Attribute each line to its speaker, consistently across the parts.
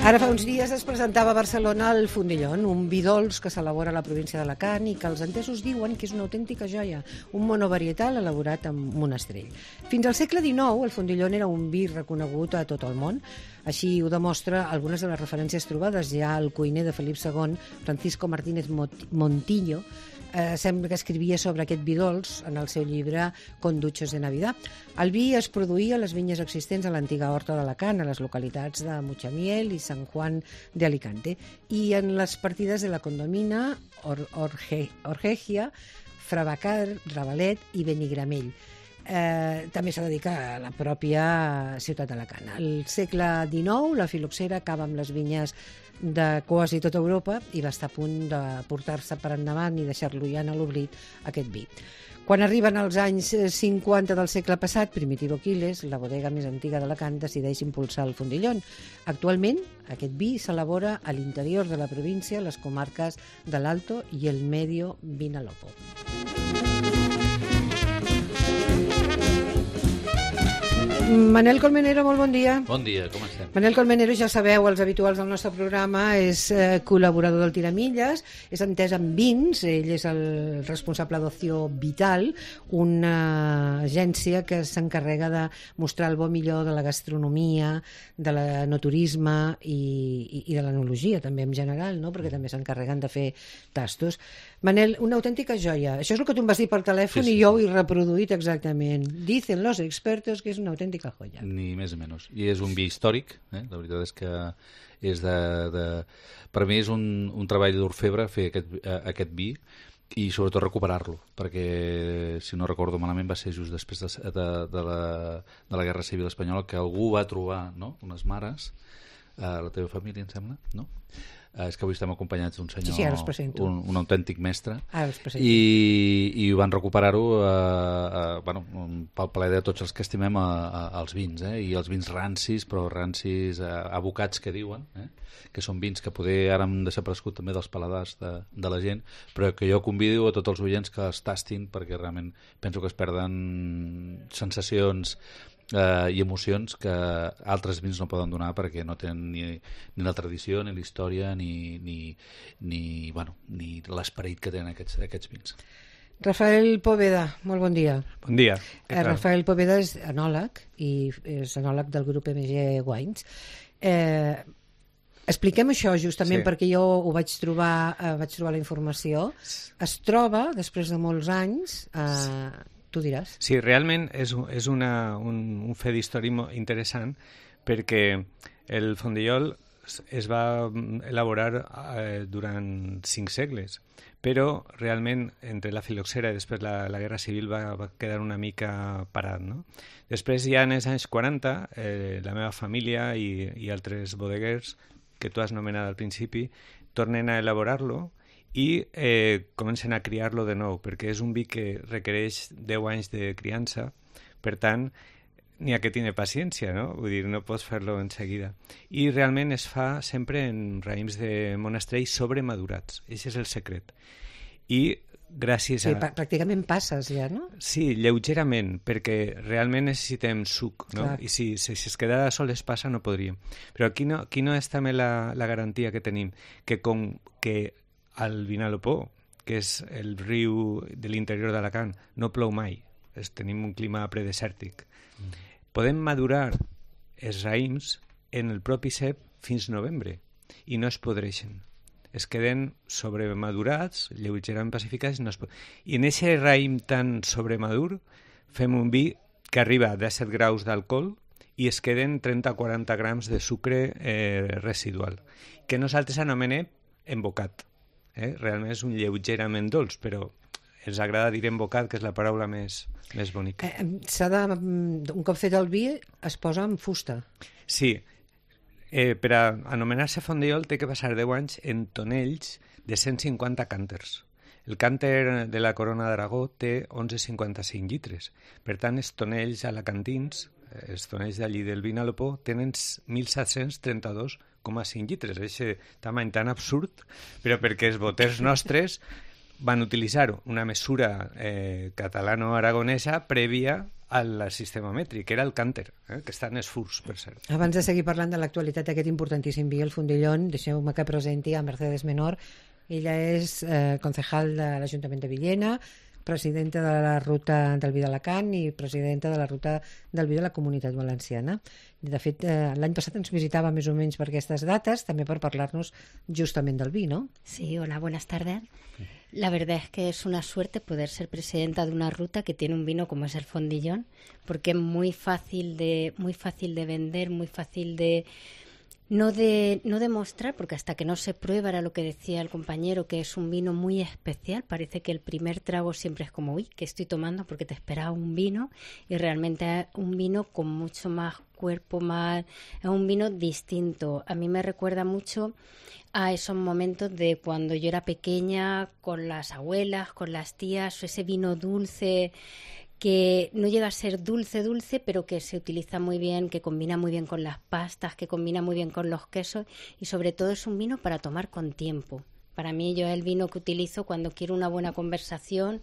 Speaker 1: Ara fa uns dies es presentava a Barcelona el Fondillón, un vi dolç que s'elabora a la província d'Alacant i que els entesos diuen que és una autèntica joia, un monovarietal elaborat amb monestrell. Fins al segle XIX, el Fondillón era un vi reconegut a tot el món. Així ho demostra algunes de les referències trobades. Ja el cuiner de Felip II, Francisco Martínez Montillo, sembla que escrivia sobre aquest vi dolç en el seu llibre Conduchos de Navidad. El vi es produïa a les vinyes existents a l'antiga horta d'Alacant, a les localitats de Mutxamiel i Sant Juan de Alicante, i en les partides de la Condomina, Orgegia, Fravacar, Ravalet i Benigramell. També s'ha dedicat a la pròpia ciutat d'Alacant. Al segle XIX, la filoxera acaba amb les vinyes de quasi tota Europa i va estar a punt de portar-se per endavant i deixar-lo ja en l'oblit, aquest vi. Quan arriben els anys 50 del segle passat, Primitivo Quiles, la bodega més antiga d'Alacant, decideix impulsar el Fondillón. Actualment, aquest vi s'elabora a l'interior de la província, les comarques de l'Alto i el Medio Vinalopó. Manel Colmenero, molt bon dia.
Speaker 2: Bon dia, com estem?
Speaker 1: Manel Colmenero, ja sabeu, els habituals del nostre programa, és col·laborador del Tiramilles, és entès en vins, ell és el responsable d'Ocio Vital, una agència que s'encarrega de mostrar el bo millor de la gastronomia, de l'enoturisme i de l'enologia, també en general, no? Perquè també s'encarreguen de fer tastos. Manel, una autèntica joia. Això és el que tu em vas dir per telèfon, sí. I jo ho he reproduït exactament. Dicen los expertos que és una autèntica joia.
Speaker 2: Ni més ni menys. I és un vi històric, la veritat és que és per mi és un treball d'orfebre fer aquest vi i sobretot recuperar-lo, perquè si no recordo malament va ser just després de la Guerra Civil Espanyola que algú va trobar, no?, unes mares, la teva família, em sembla, no? És que avui estem acompanyats d'un senyor, sí, un autèntic mestre, i van recuperar-ho pel plaer de tots els que estimem els vins, i els vins rancis, però rancis abocats que diuen, que són vins que poder ara han desaparegut també dels paladars de la gent, però que jo convido a tots els oients que els tastin, perquè realment penso que es perden sensacions i emocions que altres vins no poden donar perquè no tenen ni la tradició, ni la història, ni l'esperit que tenen aquests vins.
Speaker 1: Rafael Poveda, molt bon dia.
Speaker 3: Bon dia.
Speaker 1: Rafael Poveda és enòleg i és enòleg del grup MG Wines. Expliquem això justament, sí, perquè jo ho vaig trobar la informació. Es troba, després de molts anys, tu diràs.
Speaker 3: Sí, realment és un fet històric interessant perquè el Fondillol es va elaborar durant 5 segles, però realment entre la filoxera i després la Guerra Civil va quedar una mica parat, no? Després ja en els anys 40 la meva família i altres bodeguers que tu has nomenat al principi tornen a elaborar-lo i comencen a criar-lo de nou, perquè és un vi que requereix 10 anys de criança, per tant, n'hi ha que tenir paciència, no? Vull dir, no pots fer-lo en seguida. I realment es fa sempre en raïms de monestrell sobremadurats. Aquest és el secret. I gràcies a...
Speaker 1: Sí, pràcticament passes ja, no?
Speaker 3: Sí, lleugerament, perquè realment necessitem suc, no? Clar. I si es quedara sol es passa no podríem. Però aquí no és també la garantia que tenim, que com que al Vinalopó, que és el riu de l'interior d'Alacant, no plou mai, tenim un clima predesèrtic. Podem madurar els raïms en el propi cep fins novembre i no es podreixen. Es queden sobremadurats, lleugerament pacificats, i en aquest raïm tan sobremadur fem un vi que arriba a 17 graus d'alcohol i es queden 30-40 grams de sucre residual, que nosaltres anomenem embocat. Realment és un lleugerament dolç, però ens agrada dir embocat, que és la paraula més bonica.
Speaker 1: Un cop fet el vi es posa en fusta.
Speaker 3: Sí, per a anomenar-se Fondillol té que passar 10 anys en tonells de 150 cànters. El cànter de la Corona d'Aragó té 11,55 litres. Per tant, els tonells alacantins, els tonells d'allí del Vinalopó, tenen 1.732,5 litres. Aquest tamany tan absurd, però perquè els boters nostres van utilitzar una mesura catalano-aragonesa prèvia al sistema mètric, que era el cànter, que està en els furs, per cert.
Speaker 1: Abans de seguir parlant de l'actualitat d'aquest importantíssim vi, el Fondillón, deixeu-me que presenti a Mercedes Menor. Ella és concejal de l'Ajuntament de Villena, presidenta de la Ruta del Vi d'Alacant i presidenta de la Ruta del Vi de la Comunitat Valenciana. De fet, l'any passat ens visitava més o menys per aquestes dates, també per parlar-nos justament del vi, ¿no?
Speaker 4: Sí, hola, buenas tardes. La verdad es que es una suerte poder ser presidenta de una ruta que tiene un vino como es el Fondillón, porque es muy fácil de vender, muy fácil de no demostrar, porque hasta que no se prueba, era lo que decía el compañero, que es un vino muy especial. Parece que el primer trago siempre es como, uy, ¿qué estoy tomando? Porque te esperaba un vino, y realmente es un vino con mucho más cuerpo, es un vino distinto. A mí me recuerda mucho a esos momentos de cuando yo era pequeña, con las abuelas, con las tías, ese vino dulce que no llega a ser dulce, pero que se utiliza muy bien, que combina muy bien con las pastas, que combina muy bien con los quesos, y sobre todo es un vino para tomar con tiempo. Para mí, yo es el vino que utilizo cuando quiero una buena conversación,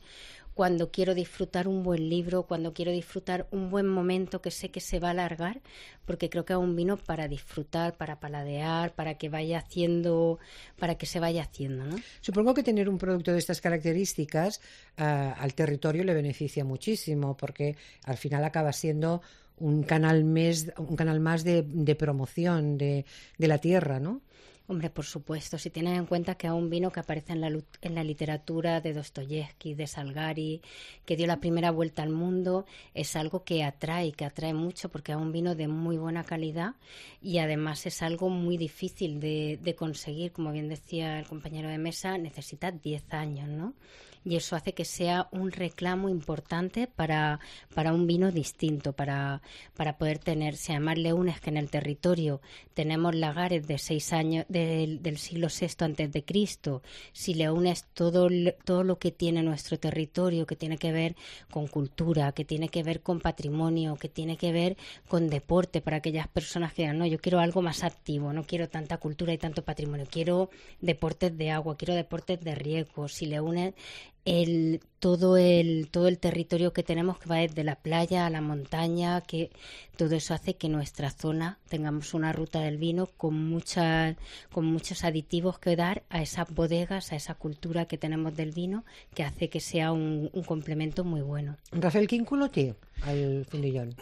Speaker 4: cuando quiero disfrutar un buen libro, cuando quiero disfrutar un buen momento que sé que se va a alargar, porque creo que es un vino para disfrutar, para paladear, para que se vaya haciendo, ¿no?
Speaker 1: Supongo que tener un producto de estas características al territorio le beneficia muchísimo, porque al final acaba siendo un canal más de promoción de la tierra, ¿no?
Speaker 4: Hombre, por supuesto, si tienes en cuenta que es un vino que aparece en la literatura de Dostoyevsky, de Salgari, que dio la primera vuelta al mundo, es algo que atrae mucho, porque es un vino de muy buena calidad, y además es algo muy difícil de conseguir. Como bien decía el compañero de mesa, necesita 10 años, ¿no? Y eso hace que sea un reclamo importante para un vino distinto, para poder tener. Si además le unes que en el territorio tenemos lagares de 6 años del siglo VI antes de Cristo, si le unes todo lo que tiene nuestro territorio, que tiene que ver con cultura, que tiene que ver con patrimonio, que tiene que ver con deporte, para aquellas personas que digan, no, yo quiero algo más activo, no quiero tanta cultura y tanto patrimonio, quiero deportes de agua, quiero deportes de riesgo. Si le unes todo el territorio que tenemos, que va desde la playa a la montaña, que todo eso hace que nuestra zona tengamos una ruta del vino con muchos aditivos que dar a esas bodegas, a esa cultura que tenemos del vino, que hace que sea un complemento muy bueno.
Speaker 1: Rafael, quin color té el Fondillón?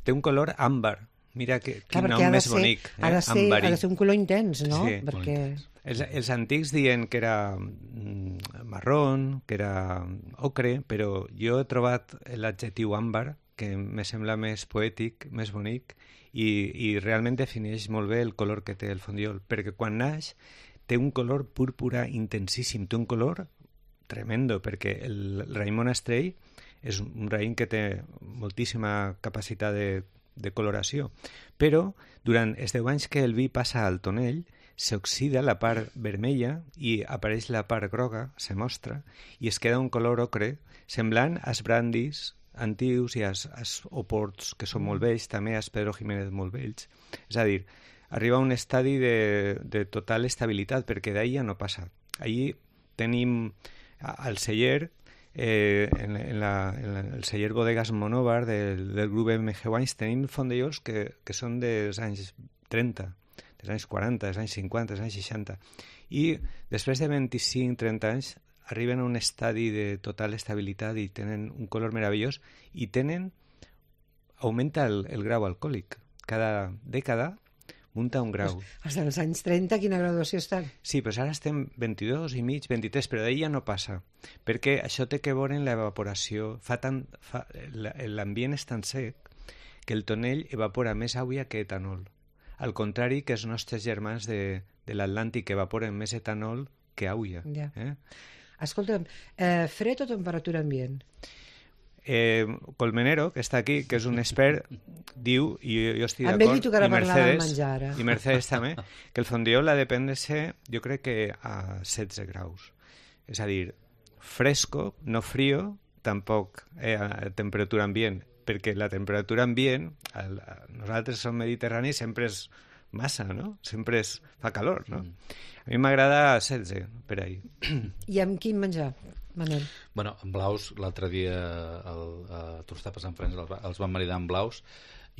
Speaker 3: Té un color àmbar. Mira quin nom més bonic.
Speaker 1: Ha de ser un color intens, no?
Speaker 3: Sí,
Speaker 1: perquè...
Speaker 3: Els antics diuen que era marrón, que era ocre, però jo he trobat l'adjectiu àmbar, que me sembla més poètic, més bonic, i realment defineix molt bé el color que té el Fondillón, perquè quan naix té un color púrpura intensíssim, té un color tremendo, perquè el raïm Monastrell és un raïm que té moltíssima capacitat de coloració, però durant els 10 anys que el vi passa al tonell s'oxida la part vermella i apareix la part groga, se mostra, i es queda un color ocre semblant als brandis antius i als oports, que són molt vells, també als Pedro Jiménez molt vells. És a dir, arriba a un estadi de total estabilitat, perquè d'ahir ja no passa. Ahir tenim al celler, en el celler Bodegas Monóvar del grup MG Wines, tenim fondellons que són dels anys 30, dels anys 40, dels anys 50, dels anys 60, i després de 25-30 anys arriben a un estadi de total estabilitat i tenen un color meravellós i augmenta el grau alcohòlic. Cada dècada munta un grau.
Speaker 1: Els dels anys 30, quina graduació estan?
Speaker 3: Sí, però ara estem 22 i mig, 23, però d'ahir ja no passa, perquè això té que veure en l'evaporació. L'ambient és tan sec que el tonell evapora més aigua que etanol. Al contrari que els nostres germans de l'Atlàntic evaporen més etanol que aigua.
Speaker 1: Ja. Escolta'm, fred o temperatura ambient?
Speaker 3: Colmenero, que està aquí, que és un expert, diu, i jo estic d'acord,
Speaker 1: amb ell li tocarà parlar del menjar ara.
Speaker 3: I Mercedes també, que el Fondillón l'ha de prendre jo crec que a 16 graus. És a dir, fresco, no frío, tampoc a temperatura ambient, perquè la temperatura ambient, nosaltres som mediterranis, sempre és massa, no? Sempre fa calor, no? A mi m'agrada 16, per ahir.
Speaker 1: I amb quin menjar? Manel.
Speaker 2: Bueno, en blaus, l'altre dia a Tostapes en Frens els van maridar en blaus,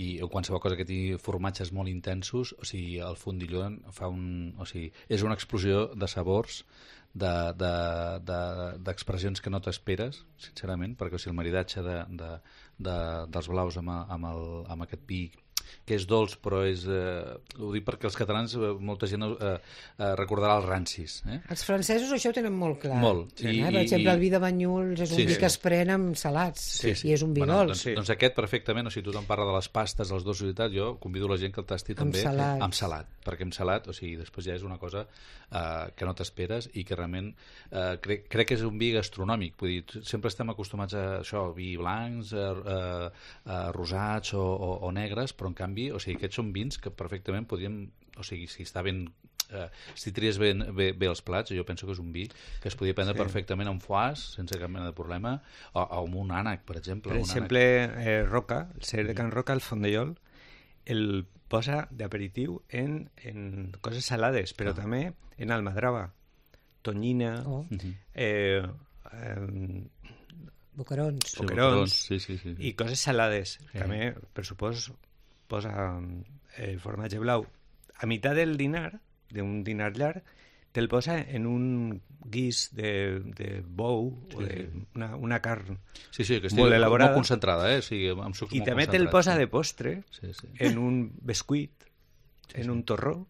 Speaker 2: i qualsevol cosa que tingui formatges molt intensos, o sigui, el fondilló fa o sigui, és una explosió de sabors, d'expressions que no t'esperes, sincerament, perquè o sigui, el maridatge dels blaus amb aquest vi que és dolç, però és... ho dic perquè els catalans, molta gent recordarà els rancis.
Speaker 1: Els francesos això ho tenen molt clar.
Speaker 2: Molt.
Speaker 1: Per exemple, el vi de Banyuls és un vi que es pren amb salats, i és un vi dolç.
Speaker 2: Doncs aquest perfectament, o sigui, tothom parla de les pastes, els dolços i tal, jo convido la gent que el tasti també amb salat, perquè amb salat, o sigui, després ja és una cosa que no t'esperes i que realment crec que és un vi gastronòmic, vull dir, sempre estem acostumats a això, vi blancs, rosats o negres, però en canvi, o sigui, aquests són vins que perfectament podríem, o sigui, si està ben si tries bé els plats, jo penso que és un vi que es podria prendre perfectament amb foie sense cap mena de problema, o amb un ànec, per exemple.
Speaker 3: Per exemple, Roca, el celler de Can Roca, el fondellol, el posa d'aperitiu en coses salades, però també en almadrava, tonyina, boquerons, i coses salades. També, per supòs, posa formatge blau. A meitat del dinar, d'un dinar llarg, te'l posa en un guix de bou o d'una carn molt elaborada.
Speaker 2: Molt concentrada, amb sucs molt concentrats.
Speaker 3: I també te'l posa de postre en un bescuit, en un torró.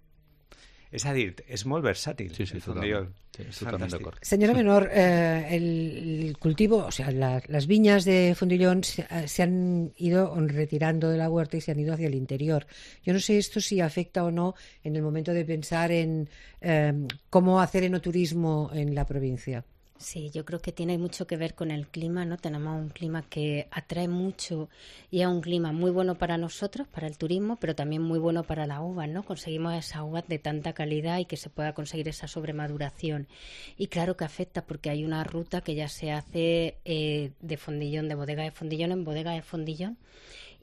Speaker 3: És a dir, és molt versàtil el fondellol.
Speaker 2: Totalment d'acord.
Speaker 1: Señora Menor, el cultivo, o sea, las viñas de Fondillón se han ido retirando de la huerta y se han ido hacia el interior. Yo no sé esto si afecta o no en el momento de pensar en cómo hacer enoturismo en la provincia.
Speaker 4: Sí, yo creo que tiene mucho que ver con el clima, ¿no? Tenemos un clima que atrae mucho y es un clima muy bueno para nosotros, para el turismo, pero también muy bueno para las uvas, ¿no? Conseguimos esas uvas de tanta calidad y que se pueda conseguir esa sobremaduración. Y claro que afecta porque hay una ruta que ya se hace de Fondillón, de bodega de Fondillón en bodega de Fondillón.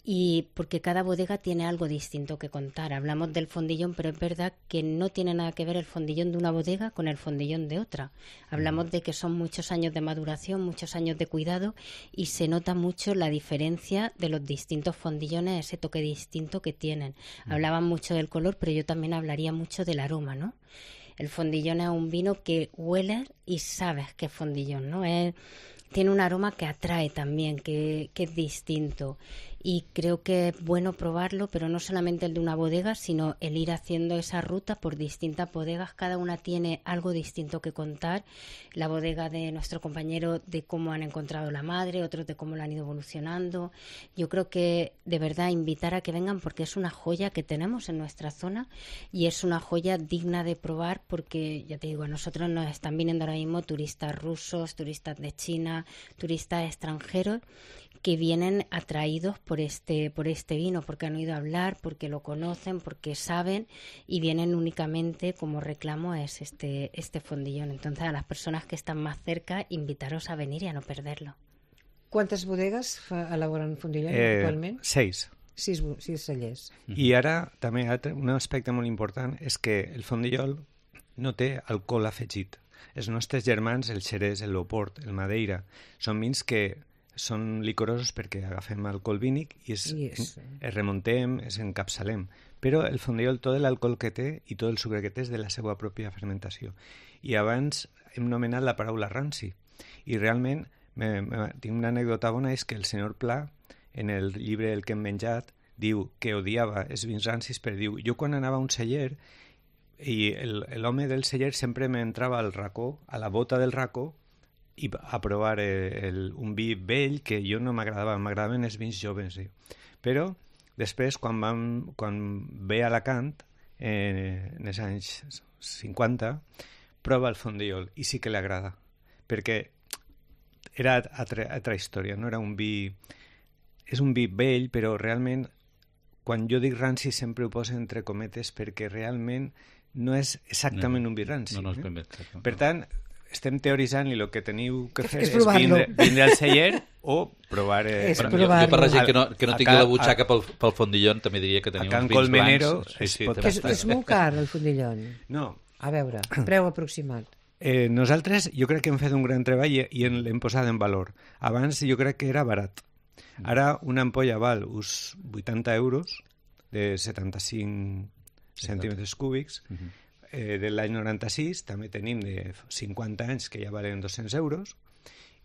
Speaker 4: Y porque cada bodega tiene algo distinto que contar. Hablamos del fondillón, pero es verdad que no tiene nada que ver el fondillón de una bodega con el fondillón de otra. Hablamos de que son muchos años de maduración, muchos años de cuidado y se nota mucho la diferencia de los distintos fondillones, ese toque distinto que tienen. Hablaban mucho del color, pero yo también hablaría mucho del aroma, ¿no? El fondillón es un vino que hueles y sabes que es fondillón, ¿no? Tiene un aroma que atrae también, que es distinto. Y creo que es bueno probarlo, pero no solamente el de una bodega, sino el ir haciendo esa ruta por distintas bodegas. Cada una tiene algo distinto que contar. La bodega de nuestro compañero de cómo han encontrado la madre, otros de cómo lo han ido evolucionando. Yo creo que de verdad invitar a que vengan porque es una joya que tenemos en nuestra zona y es una joya digna de probar porque, ya te digo, a nosotros nos están viniendo ahora mismo turistas rusos, turistas de China, turistas extranjeros que vienen atraídos por este vino, porque han oído hablar, porque lo conocen, porque saben y vienen únicamente como reclamo es este fondillón. Entonces a las personas que están más cerca, invitaros a venir y a no perderlo.
Speaker 1: ¿Cuántas bodegas elaboran fondillón actualment?
Speaker 3: 6.
Speaker 1: 6 cellers.
Speaker 3: I ara també un aspecte molt important és que el fondillol no té alcohol afegit. Els nostres germans, el Xerès, el Loport, el Madeira, són vins que són licorosos perquè agafem alcohol vínic i es remontem, es encapçalem. Però el fondillol, tot l'alcohol que té i tot el sucre que té és de la seva pròpia fermentació. I abans hem nomenat la paraula ranci. I realment, tinc una anècdota bona, és que el senyor Pla, en el llibre El que hem menjat, diu que odiava els vins rancis, però diu, jo quan anava a un celler i l'home del celler sempre m'entrava al racó, a la bota del racó, i a provar un vi vell que jo no m'agradava, m'agradaven els vins joves. Però després, quan ve a Alacant, en els anys 50, prova el fondillol i sí que li agrada, perquè era altra història, no era un vi... És un vi vell, però realment, quan jo dic ranci sempre ho poso entre cometes perquè realment no és exactament un vi ranci.
Speaker 2: No és ben bé.
Speaker 3: Per tant, estem teoritzant i el que teniu que fer és vindre al celler o provar...
Speaker 2: Jo per la gent que no tingui la butxaca pel fondillón també diria que teniu uns vins blancs.
Speaker 1: És molt car el fondillón.
Speaker 3: No.
Speaker 1: A veure, preu aproximat.
Speaker 3: Nosaltres jo crec que hem fet un gran treball i l'hem posat en valor. Abans jo crec que era barat. Ara una ampolla val uns 80 euros de 75 centímetres cúbics. De l'any 96 també tenim de 50 anys que ja valen 200 euros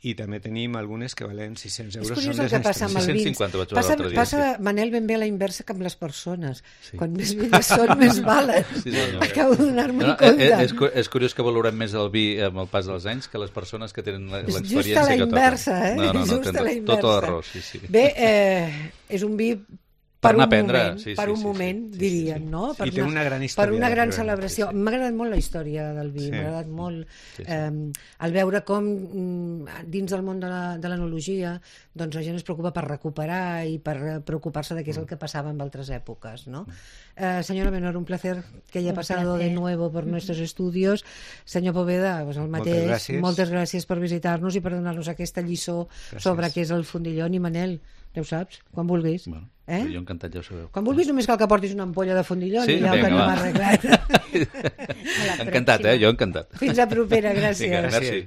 Speaker 3: i també tenim algunes que valen 600 euros.
Speaker 1: És curiós el que passa amb els vins.
Speaker 2: 650 vaig veure l'altre dia.
Speaker 1: Passa, Manel, ben bé a la inversa que amb les persones. Sí. Quan més velles són, més valen. Sí, acabo de donar-me compte.
Speaker 2: És curiós que valorem més el vi amb el pas dels anys que les persones que tenen l'experiència
Speaker 1: just a la
Speaker 2: que
Speaker 1: inversa,
Speaker 2: toquen.
Speaker 1: Just a la inversa.
Speaker 2: Tot l'arròs, sí.
Speaker 1: Bé, és un vi per un moment, dirien, no?
Speaker 3: I té una gran història.
Speaker 1: Per una gran celebració. M'ha agradat molt la història del vi, m'ha agradat molt el veure com dins del món de l'enologia doncs la gent es preocupa per recuperar i per preocupar-se de què és el que passava en altres èpoques, ¿no? Señora Menor, un placer que haya pasado de nuevo por nuestros estudios. Senyor Poveda, pues el mateix. Moltes gràcies per visitar-nos i per donar-nos aquesta lliçó sobre què és el fondillón. I Manel, ja ho saps, quan vulguis.
Speaker 2: Bueno, jo encantat, ja ho sabeu.
Speaker 1: Quan vulguis només cal que portis una ampolla de fondillón i ja ho tenim arreglat.
Speaker 2: Encantat, jo encantat.
Speaker 1: Fins a propera, gràcies.
Speaker 2: Vinga, merci.